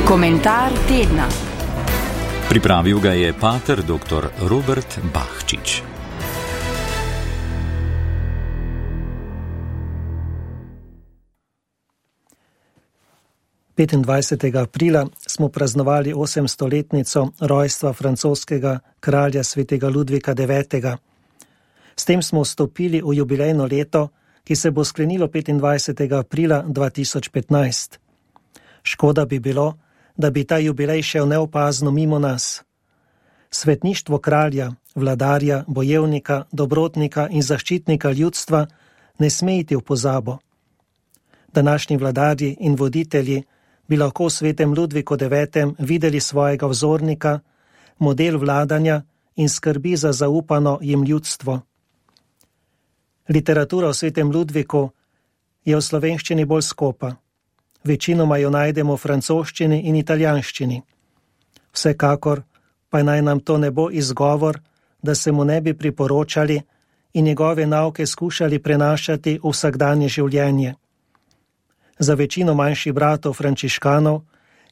Komentar tedna. Pripravil ga je pater dr. Robert Bahčič. Aprila smo praznovali 800-letnico rojstva francoskega kralja svetega Ludvika IX. S tem smo vstopili v jubilejno leto, ki se bo sklenilo 25. aprila 2015. Škoda bi bilo, da bi ta jubilej šel neopazno mimo nas. Svetništvo kralja, vladarja, bojevnika, dobrotnika in zaščitnika ljudstva ne sme iti v pozabo. Današnji vladarji in voditelji bi lahko v svetem Ludviku IX. Videli svojega vzornika, model vladanja in skrbi za zaupano jim ljudstvo. Literatura o svetem Ludviku je v slovenščini bolj skopa. Večinoma jo najdemo v francoščini in italijanščini. Vsekakor pa naj nam to ne bo izgovor, da se mu ne bi priporočali in njegove nauke skušali prenašati v vsakdanje življenje. Za večino manjših bratov frančiškanov,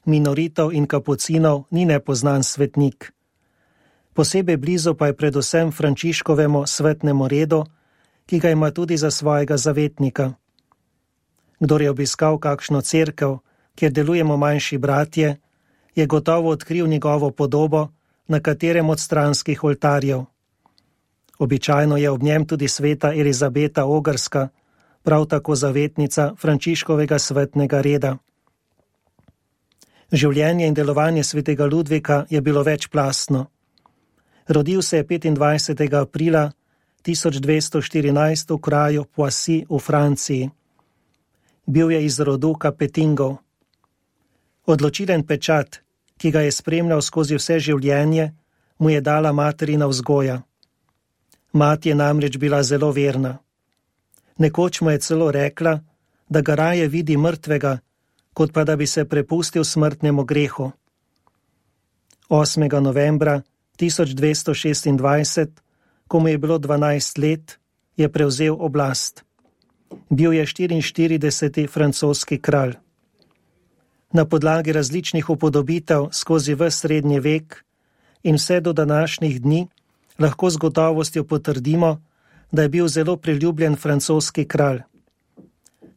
minoritov in kapucinov ni nepoznan svetnik. Posebej blizu pa je predvsem Frančiškovemu svetnemu redu, ki ga ima tudi za svojega zavetnika. Kdor je obiskal kakšno cerkev, kjer delujemo manjši bratje, je gotovo odkril njegovo podobo na katerem od stranskih oltarjev. Običajno je ob njem tudi sveta Elizabeta Ogrska, prav tako zavetnica Frančiškovega svetnega reda. Življenje in delovanje svetega Ludvika je bilo večplastno. Rodil se je 25. aprila 1214 v kraju Poissy v Franciji. Bil je iz rodu Kapetingov. Odločilen pečat, ki ga je spremljal skozi vse življenje, mu je dala materina vzgoja. Mati je namreč bila zelo verna. Nekoč mu je celo rekla, da ga raje vidi mrtvega, kot pa da bi se prepustil smrtnemu grehu. 8. novembra 1226, ko mu je bilo 12 let, je prevzel oblast. Bil je 44. francoski kralj. Na podlagi različnih upodobitev skozi ves srednji vek in vse do današnjih dni lahko z gotovostjo potrdimo, da je bil zelo priljubljen francoski kralj.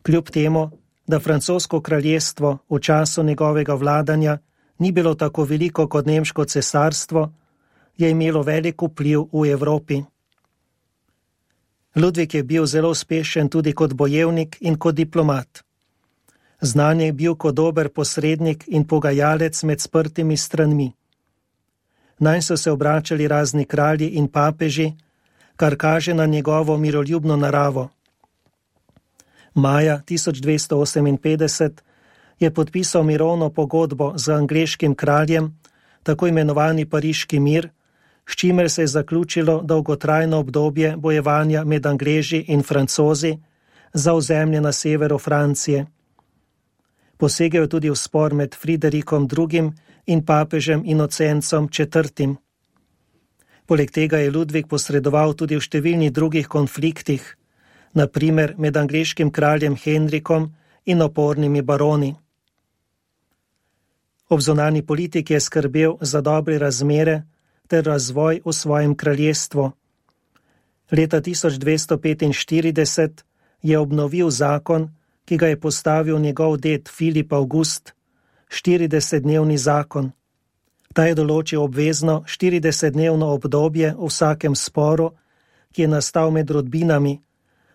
Kljub temu, da francosko kraljestvo v času njegovega vladanja ni bilo tako veliko kot nemško cesarstvo, je imelo velik vpliv v Evropi. Ludvik je bil zelo uspešen tudi kot bojevnik in kot diplomat. Znan je bil kot dober posrednik in pogajalec med sprtimi stranmi. Nanj so se obračali razni kralji in papeži, kar kaže na njegovo miroljubno naravo. Maja 1258 je podpisal mirovno pogodbo z angleškim kraljem, tako imenovani Pariški mir, s čimer se je zaključilo dolgotrajno obdobje bojevanja med Angleži in Francozi za ozemlje na severu Francije. Posegel je tudi v spor med Friderikom II. In papežem Inocencom IV. Poleg tega je Ludvik posredoval tudi v številnih drugih konfliktih, na primer med angleškim kraljem Henrikom in opornimi baroni. Ob zunanji politiki je skrbel za dobre razmere ter razvoj v svojem kraljestvu. Leta 1245 je obnovil zakon, ki ga je postavil njegov ded Filip August, 40-dnevni zakon. Ta je določil obvezno 40-dnevno obdobje v vsakem sporu, ki je nastal med rodbinami,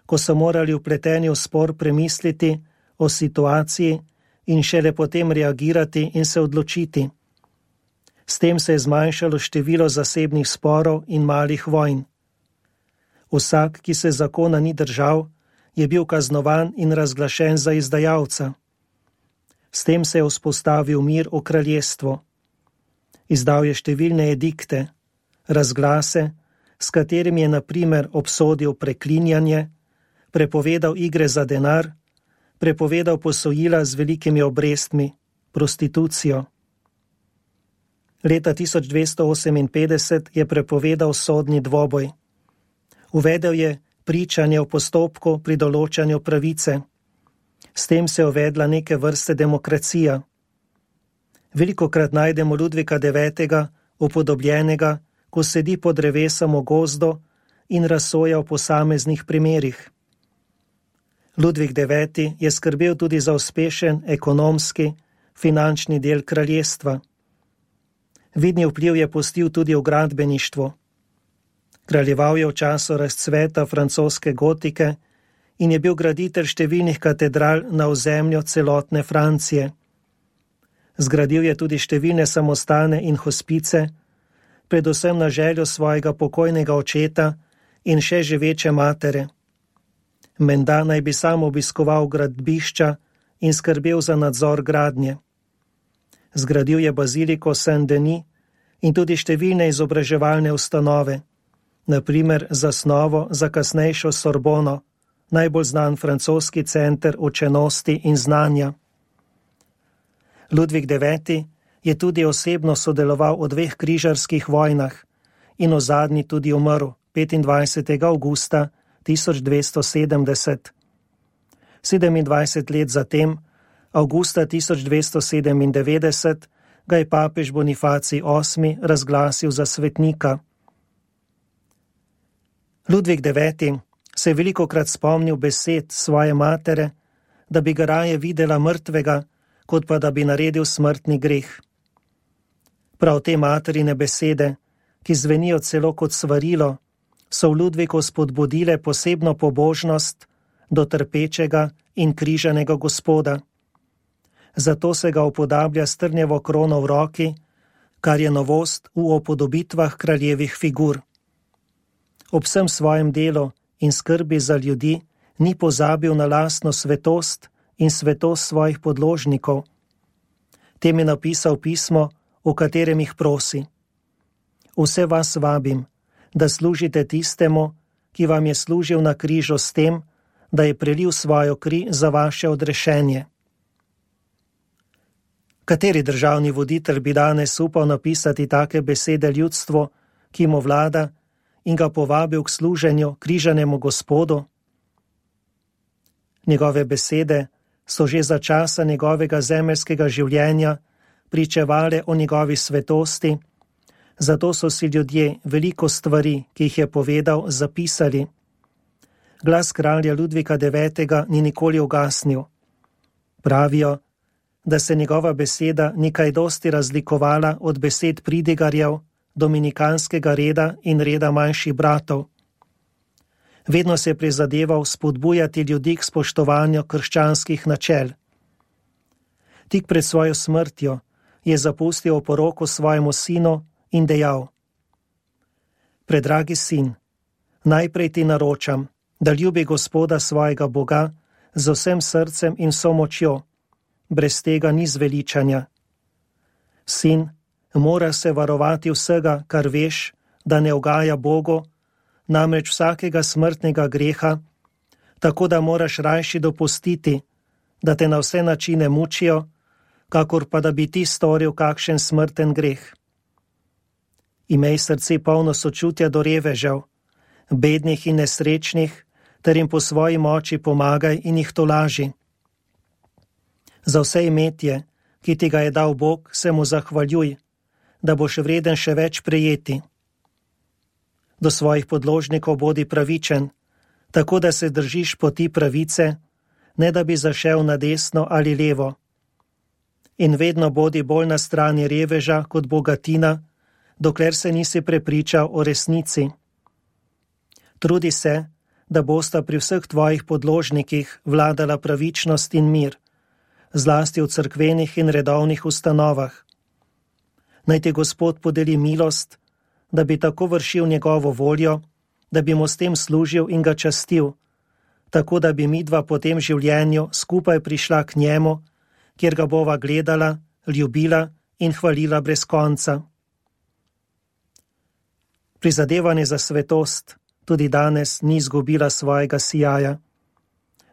ko so morali vpleteni v spor premisliti o situaciji in šele potem reagirati in se odločiti. S tem se je zmanjšalo število zasebnih sporov in malih vojn. Vsak, ki se zakona ni držal, je bil kaznovan in razglašen za izdajalca. S tem se je vzpostavil mir v kraljestvu. Izdal je številne edikte, razglase, s katerimi je na primer obsodil preklinjanje, prepovedal igre za denar, prepovedal posojila z velikimi obrestmi, prostitucijo. Leta 1258 je prepovedal sodni dvoboj. Uvedel je pričanje v postopku pri določanju pravice. S tem se je uvedla neke vrste demokracija. Velikokrat najdemo Ludvika IX. Upodobljenega, ko sedi pod drevesom v gozdu in razsoja o posameznih primerih. Ludvik IX. Je skrbel tudi za uspešen ekonomski, finančni del kraljestva. Vidni vpliv je pustil tudi v gradbeništvu. Kraljeval je v času razcveta francoske gotike in je bil graditelj številnih katedral na ozemlju celotne Francije. Zgradil je tudi številne samostane in hospice, predvsem na željo svojega pokojnega očeta in še živeče matere. Menda naj bi sam obiskoval gradbišča in skrbel za nadzor gradnje. Zgradil je baziliko Saint-Denis in tudi številne izobraževalne ustanove, na primer zasnovo za kasnejšo Sorbono, najbolj znan francoski center učenosti in znanja. Ludvik IX. Je tudi osebno sodeloval v 2 križarskih vojnah in v zadnji tudi umrl 25. avgusta 1270. 27 let zatem, avgusta 1297, ga je papež Bonifacij VIII. Razglasil za svetnika. Ludvik IX. Se je velikokrat spomnil besed svoje matere, da bi ga raje videla mrtvega, kot pa da bi naredil smrtni greh. Prav te materine besede, ki zvenijo celo kot svarilo, so v Ludviku spodbudile posebno pobožnost do trpečega in križanega Gospoda. Zato se ga upodablja s trnjevo krono v roki, kar je novost v upodobitvah kraljevih figur. Ob vsem svojem delu in skrbi za ljudi ni pozabil na lastno svetost in svetost svojih podložnikov. Tem je napisal pismo, v katerem jih prosi: Vse vas vabim, da služite tistemu, ki vam je služil na križu s tem, da je prelil svojo kri za vaše odrešenje. Kateri državni voditelj bi danes upal napisati take besede ljudstvu, ki mu vlada, in ga povabil k služenju križanemu Gospodu? Njegove besede so že za časa njegovega zemeljskega življenja pričevale o njegovi svetosti, zato so si ljudje veliko stvari, ki jih je povedal, zapisali. Glas kralja Ludvika IX. Ni nikoli ugasnil. Pravijo, da se njegova beseda ni kaj dosti razlikovala od besed pridigarjev, dominikanskega reda in reda manjših bratov. Vedno se je prizadeval spodbujati ljudi k spoštovanju krščanskih načel. Tik pred svojo smrtjo je zapustil oporoko svojemu sinu in dejal: Predragi sin, najprej ti naročam, da ljubi Gospoda svojega Boga z vsem srcem in vso močjo, brez tega ni zveličanja. Sin, mora se varovati vsega, kar veš, da ne ugaja Bogu, namreč vsakega smrtnega greha, tako da moraš rajši dopustiti, da te na vse načine mučijo, kakor pa da bi ti storil kakšen smrten greh. Imej srce polno sočutja do revežev, bednih in nesrečnih, ter jim po svoji moči pomagaj in jih tolaži. Za vse imetje, ki ti ga je dal Bog, se mu zahvaljuj, da boš vreden še več prejeti. Do svojih podložnikov bodi pravičen, tako da se držiš poti pravice, ne da bi zašel na desno ali levo. In vedno bodi bolj na strani reveža kot bogatina, dokler se nisi prepričal o resnici. Trudi se, da bosta pri vseh tvojih podložnikih vladala pravičnost in mir, zlasti v cerkvenih in redovnih ustanovah. Naj ti Gospod podeli milost, da bi tako vršil njegovo voljo, da bi mu s tem služil in ga častil, tako da bi midva po tem življenju skupaj prišla k njemu, kjer ga bova gledala, ljubila in hvalila brez konca. Prizadevanje za svetost tudi danes ni izgubila svojega sijaja.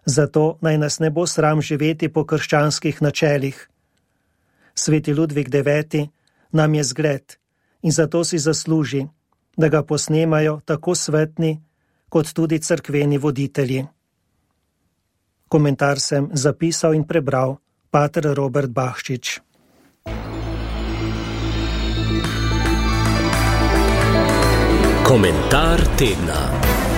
Zato naj nas ne bo sram živeti po krščanskih načelih. Sveti Ludvik IX. Nam je zgled in zato si zasluži, da ga posnemajo tako svetni kot tudi cerkveni voditelji. Komentar sem zapisal in prebral pater Robert Bahčič. Komentar tedna.